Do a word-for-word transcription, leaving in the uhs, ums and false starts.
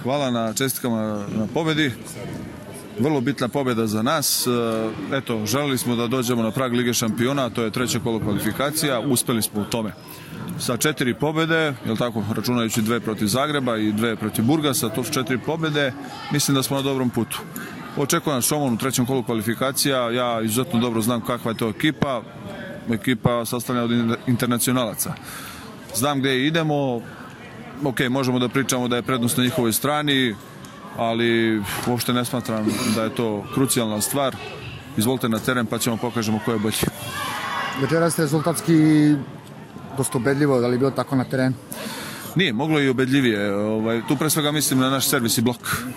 hvala na čestitkama na pobedi. Vrlo bitna pobjeda za nas. Eto, želeli smo da dođemo na prag Lige šampiona, to je treće kolo kvalifikacija, uspeli smo u tome. Sa četiri pobjede, jel tako, računajući dve protiv Zagreba i dve protiv Burgasa, to su četiri pobjede, mislim da smo na dobrom putu. Očekujem Šomun u trećem kolu kvalifikacija, ja izuzetno dobro znam kakva je to ekipa, ekipa sastavljena od internacionalaca. Znam gdje idemo, ok, možemo da pričamo da je prednost na njihovoj strani, ali uopšte ne smatram da je to krucijalna stvar. Izvolite na teren pa ćemo pokažemo ko je bolji. Večeras ste rezultatski dosta ubedljivo, da li je bilo tako na terenu? Nije, moglo i ubedljivije. Tu pre svega mislim na naš servis i blok.